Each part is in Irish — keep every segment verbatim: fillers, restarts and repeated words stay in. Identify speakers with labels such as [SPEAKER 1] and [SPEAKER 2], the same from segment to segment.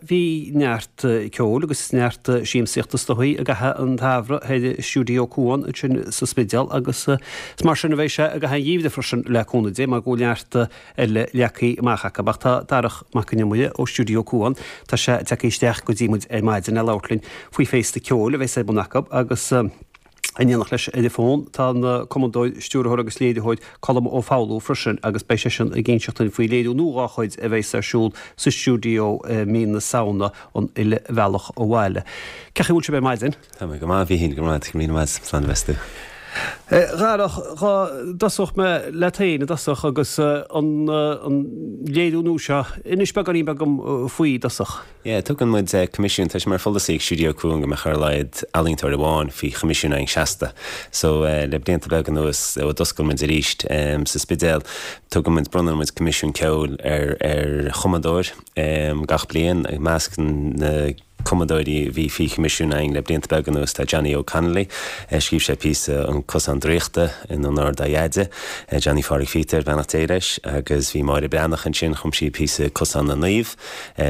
[SPEAKER 1] Bhí neart ceoil agus neart siamsaíochta is dóigh i gcaitheamh an tsamhraidh thoir i Stiúideo Cuan ansin sa Spidéal agus is mar sin a bheidh sé i gcaitheamh an gheimhridh freisin le cúnamh Dé mar go bhfuil neart eile leagtha amach acu. Ach tá Darach Mac Con Iomaire ó Stiúideo Cuan, tá sé tagtha isteach go dtí muid ar maidin le labhairt linn faoi féasta ceoil a bheas ar bun acu agus in éineacht leis ar an bhfón tá an cumadóir, stiúrthóir agus léiritheoir Colm Ó Foghlú freisin agus beidh seisean ag inseacht dúinn faoi léiriú nua dá chuid a bheas ar siúl sa stiúideo i mí na Samhna, An Uile Bhealach Abhaile. Cén chaoi a bhfuil sibh ar maidin?
[SPEAKER 2] Tá mé go maith, a Mhíchíl, go raibh míle maith agat, slán a bheas tú.
[SPEAKER 1] A Dharach, dhá dtosódh mé leat féin i dtosach agus an léiriú nua seo, inis beagáinín beag dom faoi i dtosach.
[SPEAKER 2] Yeah, tugann muid coimisiún, tá sé mar pholasaí ag Stiúideo Cuan go mbeadh ar a laghad ealaíontóir amháin faoi choimisiún againn seasta. So le blianta beaga anuas ó d'oscail muid arís sa Spidéal, tugann muid, bronnann muid coimisiún ceoil ar ar chumadóir gach bliain. I measc na cumadóirí a bhí faoi choimisiún againn le blianta beaga anuas tá Johnny Óg Connolly, scríobh sé píosa An Cosán Draíochta in onóir dá dheaide, Johnny Phádraig Phíotair, beannacht Dé leis, agus bhí Máire Breathnach ansin, chum sí píosa Cosán na Naomh,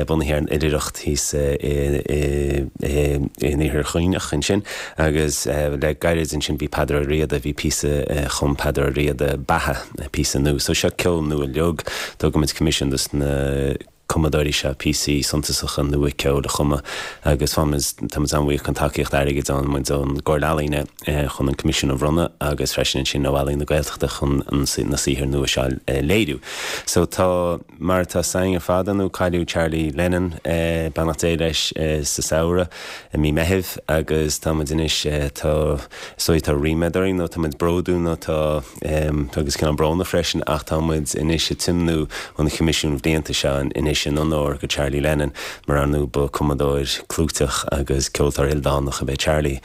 [SPEAKER 2] bunaithe ar an oilithreacht thíos in Iarthar Dhuibhneach ansin, agus le gairid ansin bhí Peadar Ó Riada, bhí píosa chum Peadar Ó Riada, Beatha, píosa nua. So seo ceol nua uilig, tugaimid coimisiún dos na cumadóirí seo píosaí suntasacha nua ceoil a chumadh agus faighimid, táimid an-bhuíoch den tacaíocht airgid a fhaigheann muid ón gComhairle Ealaíne chun an coimisiún a bhronnadh agus freisin ansin ó Ealaín na Gaeltachta chun na saothair nua seo a léiriú. So tá, mar atá 's againn ar fad, ar ndóigh, cailleadh Charlie Lennon, beannacht Dé leis, sa samhradh i mí Meithimh agus tá muid anois, tá, is dóigh tá ríméad orainn nó tá muid bródúil nó tá, agus cineál brónach freisin ach tá muid anois ag tiomnú an choimisiúin bhlianta seo anois in onóir go Charlie Lennon mar ar ndóigh ba cumadóir clúiteach agus ceoltóir ildánach ab ea Charlie.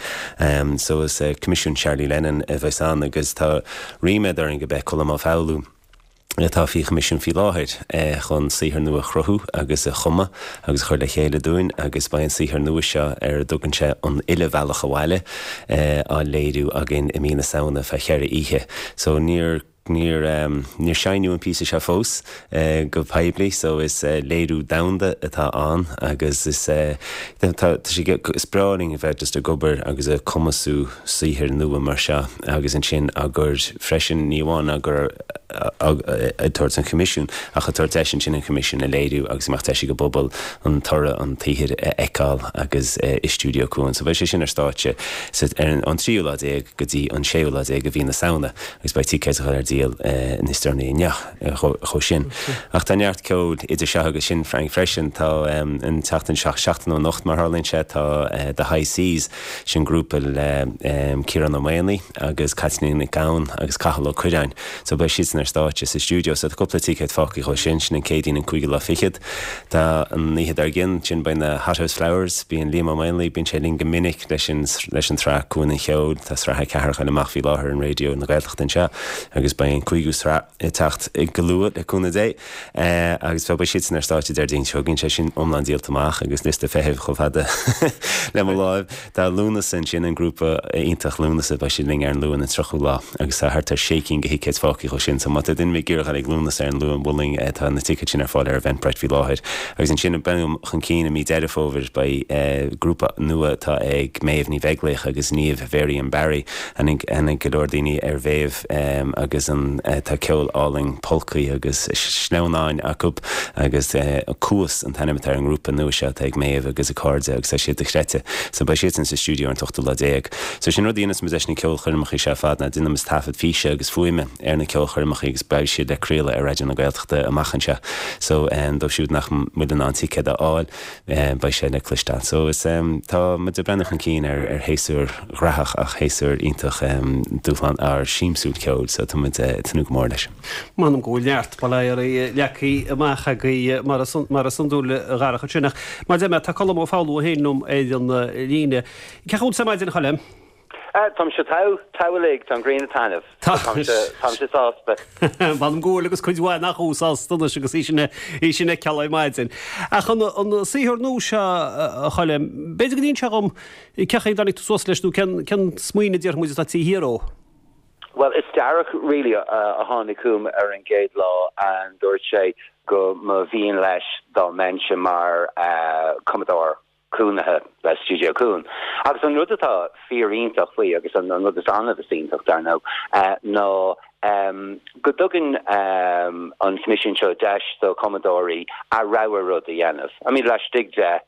[SPEAKER 2] So is Coimisiún Charlie Lennon a bheas ann agus tá ríméad orainn go mbeidh Colm Ó Foghlú, atá faoi choimisiún faoi láthair chun saothar nua a chruthú agus a chumadh agus a chur le chéile dúinn agus beidh an saothar nua seo ar a dtugann sé An Uile Bhealach Abhaile á léiriú againn i mí na Samhna feadh cheithre oíche. So níor níor níor seinneadh an píosa seo fós go poiblí so is léiriú domhanda atá ann agus is tá sé is breá linn a bheith just ag obair agus ag cumasú saothair nua mar seo agus ansin á gcur freisin ní amháin á gcur ag tabhairt an choimisiúin ach ag tabhairt deis ansin an choimisiún a léiriú agus go mbeadh deis ag an bpobal an toradh an tsaothair a fheiceáil agus i Stiúideo Cuan. So beidh sé sin ar stáitse sa ar an tríú lá déag go dtí an séú lá déag de mhí na Samhna agus beidh ticéid a dhul ar díol níos deireanaí inniu chomh sin. Ach tá neart ceoil idir seo agus sin Frank freisin. Tá an tseachtain seo, seachtain ó anocht mar tharlaíonn sé, tá The High Seas, sin grúpa le Ciarán Ó Maonaigh agus Caitlín Nic Gabhann agus Cathal Ó Cuirreáin. So beidh siadsan ar stáitse sa stiúideo. So tá cúpla ticéad fágtha dhó sin, sin an Céadaoin an cúigiú lá fichead. Tá an oíche dár gcionn, sin beidh na Hothouse Flowers, bíonn Liam Ó Maonlaí, bíonn sé linn go minic leis an leis an tsraith Cuan an Cheoil, tá sraith a ceathair ag dul amach faoi láthair ar an Raidió na Gaeltachta anseo agus beidh an cúigiú sraith ag teacht go luath le cúnamh Dé. Agus beidh siadsan ar stáitse Déardaoin seo chugainn, sé sin iomlán díolta amach agus liosta feithimh chomh fada le mo láimh. Tá Lúnasa ansin, an grúpa iontach Lúnasa, beidh siad linn ar an Luan an tríochú lá agus tá thart ar sé cinn de thicéid fágtha dhó sin so má tá duine ag iarraidh dul ag Lúnasa ar an Luan, mholfainn, tá na ticéid sin ar fáil ar Eventbrite faoi láthair. Agus ansin ag breathnú chun cinn i mí Deireadh Fómhair beidh grúpa nua atá ag Méabh Ní Bheaglaoich agus Niamh Varian Barry, aithne ag go leor daoine ar Mhéabh agus an tá ceol álainn polcaí agus sleamhnáin acu agus Cuas an t-ainm atá ar an ngrúpa nua seo atá ag Méabh agus a cairde agus tá siad dochreidte. So beidh siadsan sa stiúideo ar an t-ochtú lá déag. So sin rud a dhéanas muid leis na ceolchoirmeacha seo ar fad ná déanaimid taifead físe agus fuaime ar na ceolchoirmeacha agus beidh siad le craoladh ar Raidió na Gaeltachta amach anseo. So dóibh siúd nach bhfuil in ann ticéad a fháil beidh sé le cloisteáil. So is tá muid ag breathnú chun cinn ar ar shéasúr graitheach ach shéasúr iontach dúshlán ár siamsúil ceoil so tá muid ag tnúth go mór leis.
[SPEAKER 1] M'anam go bhfuil neart polláirí leagtha amach agaibh mar is iondúil a Dharach ansin ach mar a deir mé tá Colm Ó Foghlú féin liom ar an líne. Cén chaoi a bhfuil tú ar maidin a Choilm?
[SPEAKER 3] Táimse togha, togha uilig, tá an ghrian ag taitneamh. Táimse, táimse sásta.
[SPEAKER 1] M'anam go bhfuil agus cuid mhaith nach bhfuil sásta anois agus í sin, í sin a fheiceáil ar maidin. Ach an, an saothar nua seo a Choilm, b'fhéidir go n-inseofá dhom cén chaoi a dtáinig tú suas leis nó cén, cén smaoineamh déarfaidh muid atá taobh thiar dhó?
[SPEAKER 3] Bhuel, is Darach really a tháinig chugam ar an gcéad lá and dúirt sé go mba mhian leis dá mbeinnse mar cumadóir cónaithe le Stiúideo Cuan. Agus an rud atá fíoriontach faoi agus an rud is annamh is iontach dar ndóigh ná go dtugann an coimisiún seo deis do chumadóirí a rogha rud a dhéanamh. I mean laistigh de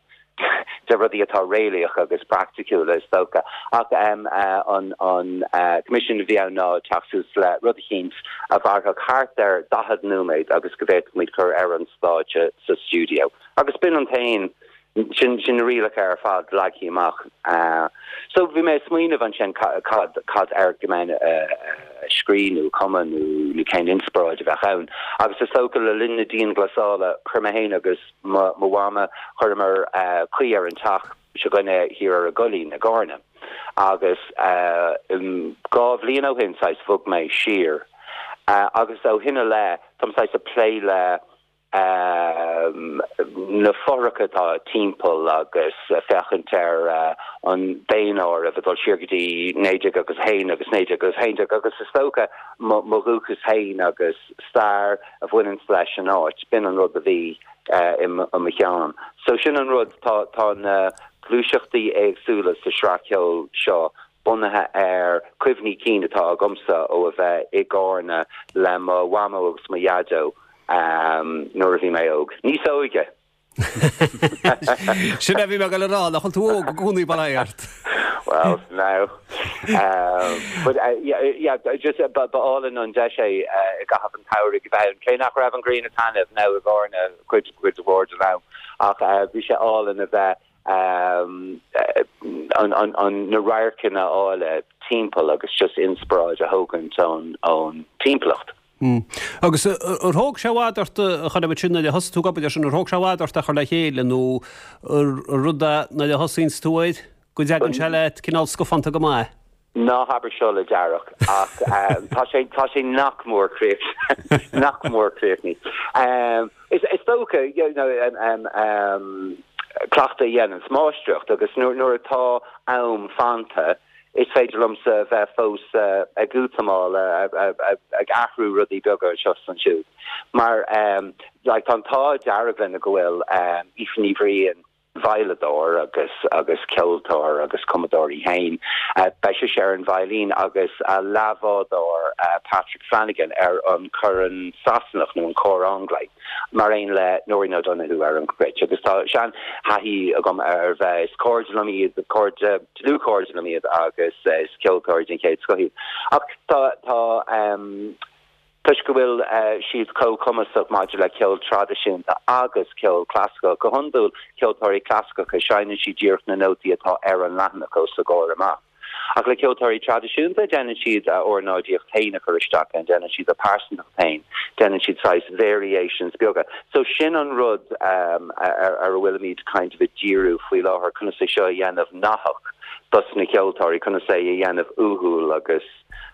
[SPEAKER 3] de rudaí atá réalaíoch agus praiticiúla is dócha ach um, uh, an an uh, coimisiún a bhí ann ná teacht suas le rud eicínt a mhairfeadh thart ar daichead nóiméad agus go bhféadfadh muid cur ar an stáitse sa stiúideo. Agus b'in an t-aon sin sin na rialacha ar fad leagtha amach. Uh, so bhí mé smaoineamh ansin cad cad air go mbeinn uh, scríobh nó cumadh nó nó cén inspioráid a bheadh ann. Agus is dócha le linn na dianghlasála chuir mé féin agus mo mhama chuireamar uh, caoi ar an teach s'againne thiar ar an gCoillín i gCarna. Agus uh, um, dhá bhliain ó shin saghas bhog mé siar. Uh, agus ó shin i leith táim saghas ag plé le um, na fothracha atá timpeall agus féachaint ar uh, an daonáireamh a dul siar go dtí naoi déag agus haon agus naoi déag agus haon déag agus is dócha mo dhúchas féin agus stair a bhaineann leis an áit b'in an rud a bhí uh, i mo cheann. So sin an rud tá tá na gluaiseachtaí éagsúla sa sraith ceoil seo bunaithe ar cuimhní cinn atá agamsa ó a bheith i gCarna le mo mhamó agus mo dhaideo um, nuair a bhí mé óg. Níos óige.
[SPEAKER 1] Sin a bhí mé le rá nach bhfuil tú óg i gcónaí bail ó Dhia ort.
[SPEAKER 3] Well now um, but uh, yeah, yeah, just uh, ba álainn an deis é uh, i gcaitheamh an tsamhraidh bheith cé nach raibh an ghrian ag taitneamh now i gCarna cuid cuid mhór den am ach uh, bhí sé álainn a bheith um, uh, an, an, an na radharcanna áille timpeall agus just inspioráid a thógaint ón ón timpeallacht.
[SPEAKER 1] Mm. Agus ar thóg sé i bhfad ort chun a sin le thosaigh tú ag obair sin ar thóg sé i bhfad ort a chur le chéile nó rud nuair a thosaíonn tú air go dtagann sé leat cineál scafánta go maith.
[SPEAKER 3] Ná habair seo le Darach ach um, tá sé tá sé nach mór críoch nach mór críochnaithe. Um, is is dócha you know, um, um, um, cleachtadh a dhéanann máistreacht agus nuair nuair atá am fanta, is féidir liomsa bheith fós uh, ag útamáil ag athrú rudaí beaga seo ansiúd. Mar um, like, an t-ádh dearg linn go bhfuil um, Aoife Ní Bhriain veidhleadóir agus agus ceoltóir agus cumadóir í féin. Uh, Beidh sí ar an veidhlín agus a leathbhádóir uh, Patrick Flanagan ar an corn Sasanach nó an cor anglais. Mar aon le Nóirín O'Donoghue ar an gcruit agus tá seanthaithí agam ar bheith is cairde liom iad cairde dlúthchairde liom iad agus uh, is ceoltóirí den chéad scoth iad. Ach tá tá um, Toisc go bhfuil uh, siad chomh cumasach maidir le ceol traidisiúnta agus ceol clasaiceach go hiondúil ceoltóirí clasaiceacha seinneann siad díreach na nótaí atá ar an leathanach os a gcomhair amach. Ach le ceoltóirí traidisiúnta déanann siad a ornáidíocht féin a chur isteach an déanann siad a pearsantacht féin, déanann siad saghas variations beaga. So sin an rud um, ar ar a bhfuilimid kind of ag díriú faoi láthair conas é seo a dhéanamh nathach dos na ceoltóirí conas é a dhéanamh uathúil agus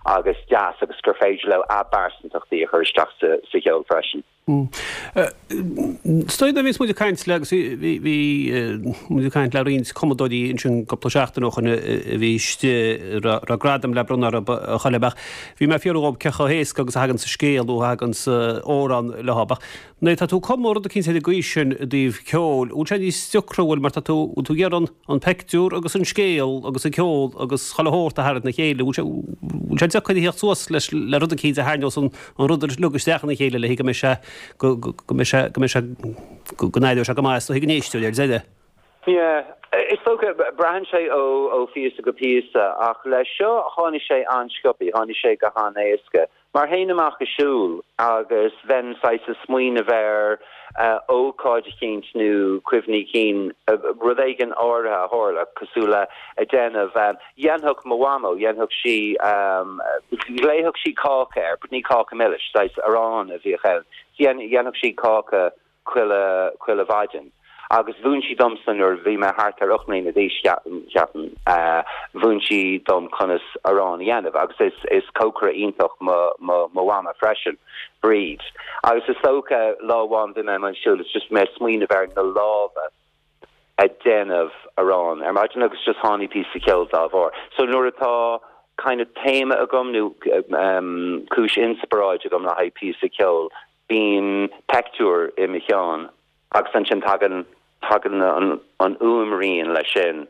[SPEAKER 3] agus deas agus gur féidir leo a bpearsantachtaí a chur isteach sa sa cheol freisin.
[SPEAKER 1] Stoi bhí muid ag caint le agus bhí muid ag caint le roinnt cumadóirí ansin cúpla seachtain ó shin a bhí raibh gradam le bronnadh a choileach. Bhí mé ag fiafraí díobh cé chomh héasca agus a thagann sa scéal nó a thagann sa amhrán leo. Nuair tá tú ag cumadh rud eicínt ar an gcaoi sin i dtaobh ceoil, bhfuil sé níos deacra bhfuil mar tá tú tú ag iarraidh an pictiúr agus an scéal agus an ceol agus chuile shórt a tharraingt le chéile, bhfuil sé deacair a theacht suas leis le rud eicínt a tharraingeos an rud uilig isteach ina chéile le go mbeidh sé go mbeidh sé go mbeidh sé go n-éireoidh sé go maith is go n-éisteoir ar deireadh.
[SPEAKER 3] Yeah, is dócha braitheann sé ó ó phíosa go píosa ach leis seo tháinig sé an-sciobtha, tháinig sé go han-éasca. Mar théinn amach ag siúl agus bheinn saghas ag smaoineamh ar uh, ócáid eicínt nó cuimhní cinn uh, rud éigin áirithe a tharla cosúil le a déanamh um, dhéanfadh mo mhamó, dhéanfadh sí um, ghlaofadh sí cáca air, ní cáca milis, saghas arán a bhíodh ann. Dhéanfadh sí cáca chuile chuile mhaidin. Agus mhúin sí domsa nuair bhí mé thart ar ocht mbliana d'aois ceapaim mhúin sí dom conas arán a dhéanamh agus is is cócaire iontach mo mo mo mhama freisin Bríd. Agus is dócha lá amháin bhí mé ag siúl is just mé ag smaoineamh ar na lámha ag déanamh arán ar maidin agus just tháinig píosa ceoil dá bharr. So nuair atá kind of téama agam nó um, cúis inspioráid agam le haghaidh píosa ceoil, bíonn pictiúr i mo cheann agus ansin tagann tagann an an fhuaimrian leis sin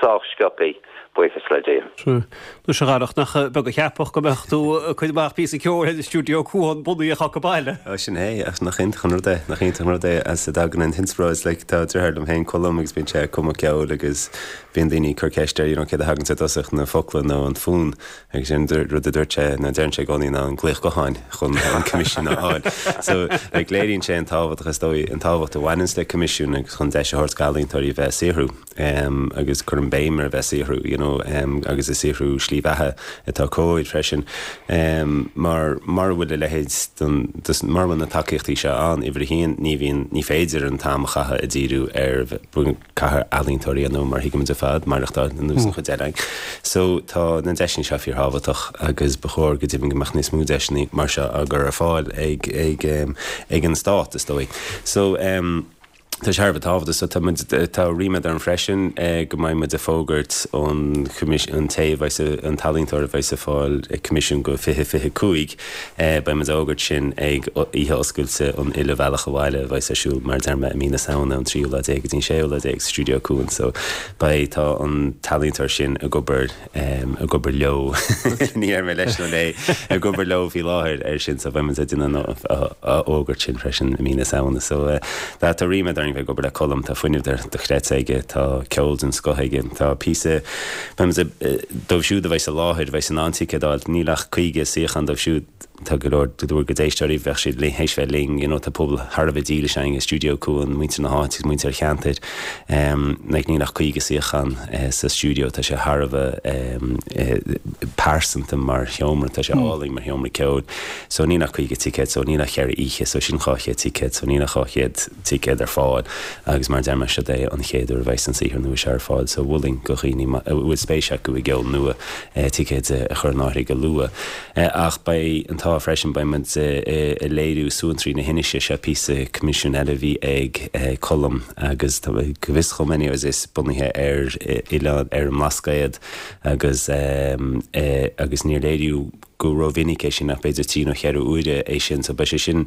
[SPEAKER 3] sách sciobtha, buíochas le Dia.
[SPEAKER 1] Anois a Dharach, nach beag a cheapfadh go mbeadh tú ag cur amach píosa ceoil ar Stiúideo Cuan bunaithe acu baile.
[SPEAKER 2] Ó sin é, ach nach iontach an rud é, nach iontach an rud é as a dtagann an t-inspioráid, like tá deartháir liom féin Colm agus bíonn sé ag cumadh ceoil agus bíonn daoine ag cur ceist air, you know, céard a thagann ar dtosach, na focla nó an fonn agus sin rud a dúirt sé, nó deireann sé i gcónaí ná an glaoch gutháin chun an coimisiún a fháil. So like léiríonn sé an tábhacht is dóigh, an tábhacht a bhaineanns le coimisiún agus chun deis a thabhairt d'ealaíontóirí bheith ag saothrú um, agus cuirim béim ar bheith ag saothrú, you know, um, agus ag saothrú slí bheatha atá cóir freisin um, mar mar bhfuil a leithéid don mar bhfuil na tacaíochtaí seo ann uimhir a haon ní bhíonn ní féidir an t-am a chaitheamh ag díriú ar caithfidh ealaíontóirí nó mar thuigimid ar fad maireachtáil ar nós an chuid eile. So tá na deiseanna seo fíorthábhachtach agus ba chóir go deimhin go mbeadh níos mó deiseanna mar seo á gcur ar fáil ag ag um, ag an stát is dóigh. So um, Tá sé thar a bheith tábhachtach so tá muid tá ríméad orm freisin go mbeidh muid ag fógairt an an té a bheas an t-ealaíontóir a bheas ag fáil coimisiún go fiche fiche cúig beidh muid ag fógairt sin ag oíche oscailte an Uile Bhealach Abhaile a bheas ar siúl mar a deir mé i mí na Samhna an tríú lá déag go dtí an séú lá déag sa Stiúideo Cuan so beidh tá an t-ealaíontóir sin ag obair ag obair leo ní déarfaidh mé leis nó léi ag obair leo faoi láthair ar sin so beidh muid ag déanamh a fhógairt sin freisin i mí na Samhna so tá ríméad orainn bheith ag obair le Colm, tá fuinneamh dochreidte aige, tá ceol den scoth aige, tá píosa dóibh siúd a bheas i láthair, bheas in ann ticéad a fháil, níl ach caoga suíochán dóibh siúd, tá go leor go leor d'éisteoirí bheadh siad linn théis bheith linn, you know, tá pobal thar a bheith dílis againn i Stiúideo Cuan, muintir na háite agus muintir an cheantair, like níl ach caoga suíochán sa stiúideo, tá sé thar a bheith pearsanta mar sheomra, tá sé álainn mar sheomra ceoil, so níl ach caoga ticéad, so níl ach ceithre oíche, so sin dhá chéad ticéad, so níl ach dhá chéad ticéad ar fáil agus mar a deir mé seo é an chéad uair a bheas an saothar nua seo ar fáil so mholfainn do dhaoine a bhfuil spéis acu i gceol nua ticéid a chur in áirithe go luath. Ach beidh an t-ádh freisin beidh muid ag léiriú Suantraí na hInise, seo píosa coimisiún eile a bhí ag Colm agus go bhfios dhom anyways is bunaithe ar oileán ar an mBlascaod agus agus níor léiríodh go rómhinic é sin ach b'fhéidir trí nó cheithre huaire é sin so beidh sé sin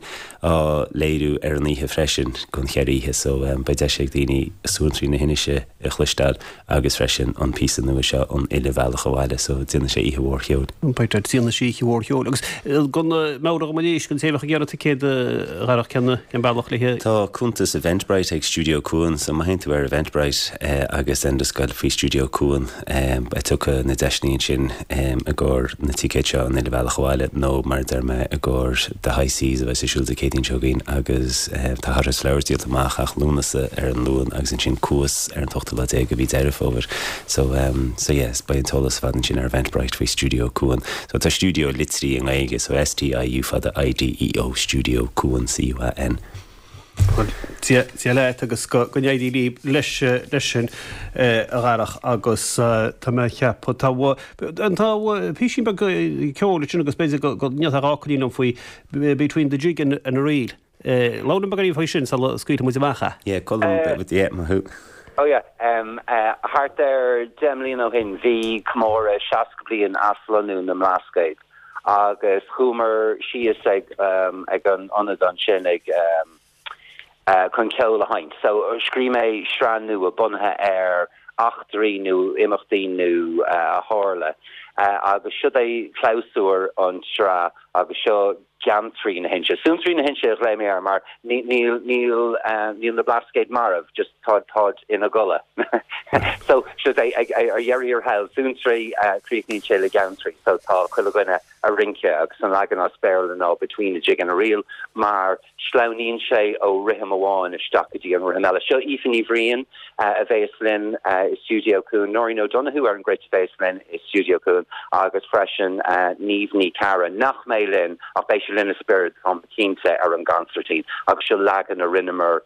[SPEAKER 2] á léiriú ar an oíche freisin don cheithre oíche so beidh deis ag daoine Suantraí na hInise a chloisteáil agus freisin an píosa nua seo an Uile Bhealach Abhaile so déanfaidh sé oíche mhór cheoil.
[SPEAKER 1] Beidh déanfaidh sé oíche mhór cheoil agus go meabhraigh dom arís don té a bheadh ag iarraidh ticéad a Dharach cén cén bealach le.
[SPEAKER 2] Tá cuntas Eventbrite ag Stiúideo Cuan so má théann tú ar Eventbrite agus then just gabh faoi Stiúideo Cuan beidh tugtha na deiseanna ansin i gcomhair na ticéid seo an Uile Bhealach Abhaile nó mar a deir mé i gcomhair The High Seas a bheas ar siúl Dé Céadaoin seo chugainn agus tá Hottest Flowers díolta amach ach Lúnasa ar an Luan agus ansin Cuas ar an t-ochtú lá déag de mhí Deireadh Fómhair. So um, so yes, beidh an t-eolas ar fad ansin ar Eventbrite faoi Stiúideo Cuan. So tá stiúideo litrithe i nGaeilge so S T I U fada I D E O Stiúideo Cuan C U A N.
[SPEAKER 1] Dia leat agus go n-éirí libh leis leis sin a Dharach agus tá mé ag ceapadh tá an tá píosín beag ceoil sin agus b'fhéidir go ndéarfá dhá fhocailín liom faoi Between the Jig and, and a Reel. Labhair liom beagáinín faoi sin sula scaoilfidh muid amach é.
[SPEAKER 2] Yeah, Colm, yeah, maith thú.
[SPEAKER 3] Oh yeah, um, uh, thart ar deich mbliana ó shin bhí comóradh seasca bliain aslonnú na mBlascaod agus chuamar síos ag um, ag an ionad ansin ag um, uh, chun ceol a sheinnt. So scríobh mé sraith nua bunaithe ar eachtraí nó imeachtaí nó uh, a tharla. Uh, agus seo é clabhsúr an tsraith agus seo Geantraí na hInse. Suantraí na hInse a ghlaoigh mé air mar níl níl níl na Blascaod marbh, just tá táid ina gcodladh. So seo é ar dheireadh thiar thall Suantraí críochnaíonn sé le Geantraí, so tá chuile dhuine ag rince agus an leagan as Béarla ná Between a Jig and a Reel mar sleamhnaíonn sé ó rithim amháin isteach go dtí an rithim eile. Seo Aoife Ní Bhriain a bheas linn i Stiúideo Cuan, Nóirín O'Donoghue ar an gcruit a bheas linn i Stiúideo Cuan agus freisin Niamh Ní Charra nach mbeidh linn ach beidh sí linn i spiorad táim cinnte ar an gconsairtín agus seo leagan a rinneamar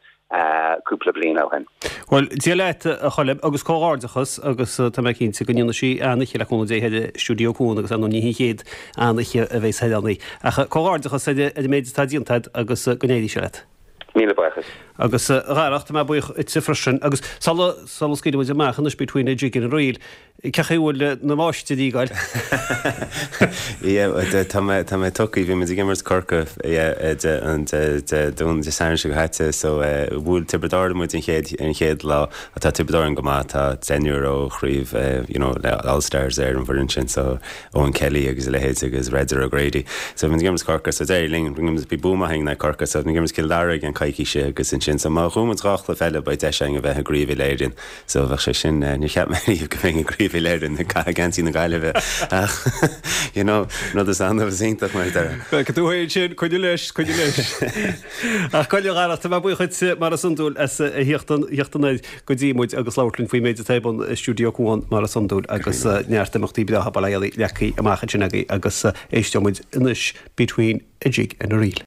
[SPEAKER 3] cúpla bliain ó shin.
[SPEAKER 1] Bhuel, Dia leat a Choilm agus comhghairdeachas agus tá mé cinnte go ndéanfaidh sí an-oíche le cúnamh Dé thoir i Stiúideo Cuan agus ar ndóigh ní hí an chéad an-oíche a bheas thoir ann í. Ach comhghairdeachas ar an méid atá déanta agat agus go n-éirí sé leat.
[SPEAKER 3] Míle buíochas.
[SPEAKER 1] Agus a Dharach, tá mé buíoch duitse freisin agus sula sula scaoilfidh muid amach anois Between a Jig and a Reel, Cén chaoi a bhfuil na máistrí ag goil?
[SPEAKER 2] Yeah, tá mé tá mé tugtha, bhí muid ag imirt Corcaigh yeah, de an de de Dún Dé Sathairn seo caite so bhuail Tiobraid Árann muid an chéad an chéad lá tá Tiobraid Árann go maith tá deichniúr ó chraobh you know, le All Stars ar an bhfoireann sin so Eoin Kelly agus a leithéid agus Raider O'Grady. So bhí muid ag imirt Corcaigh so d'éirigh linn bhí bua maith againn ar Corcaigh so bhí muid ag imirt Cill Dara i gceann coicíse agus ansin so má bhuaimid dhá chluiche eile beidh deis againn a bheith i gcraobh Uile-Éireann so bheadh sé sin níor cheap mé riamh go mbeinn i gcraobh Uile-Éireann ag caitheamh geansaí na Gaillimhe ach you know rud is annamh is iontach mar a déarfá.
[SPEAKER 1] Feicfidh tú féin sin, coinnigh leis, coinnigh leis. Ach Coille a Dhara, tá mé buíoch duit mar is iondúil as a theacht theacht anoir go dtí muid agus labhairt linn faoin méid atá ar bun i Stiúideo Cuan mar is iondúil agus neart imeachtaí breátha Baile Éalaí leagtha amach ansin agaibh agus éisteoidh muid anois Between a Jig and a Reel.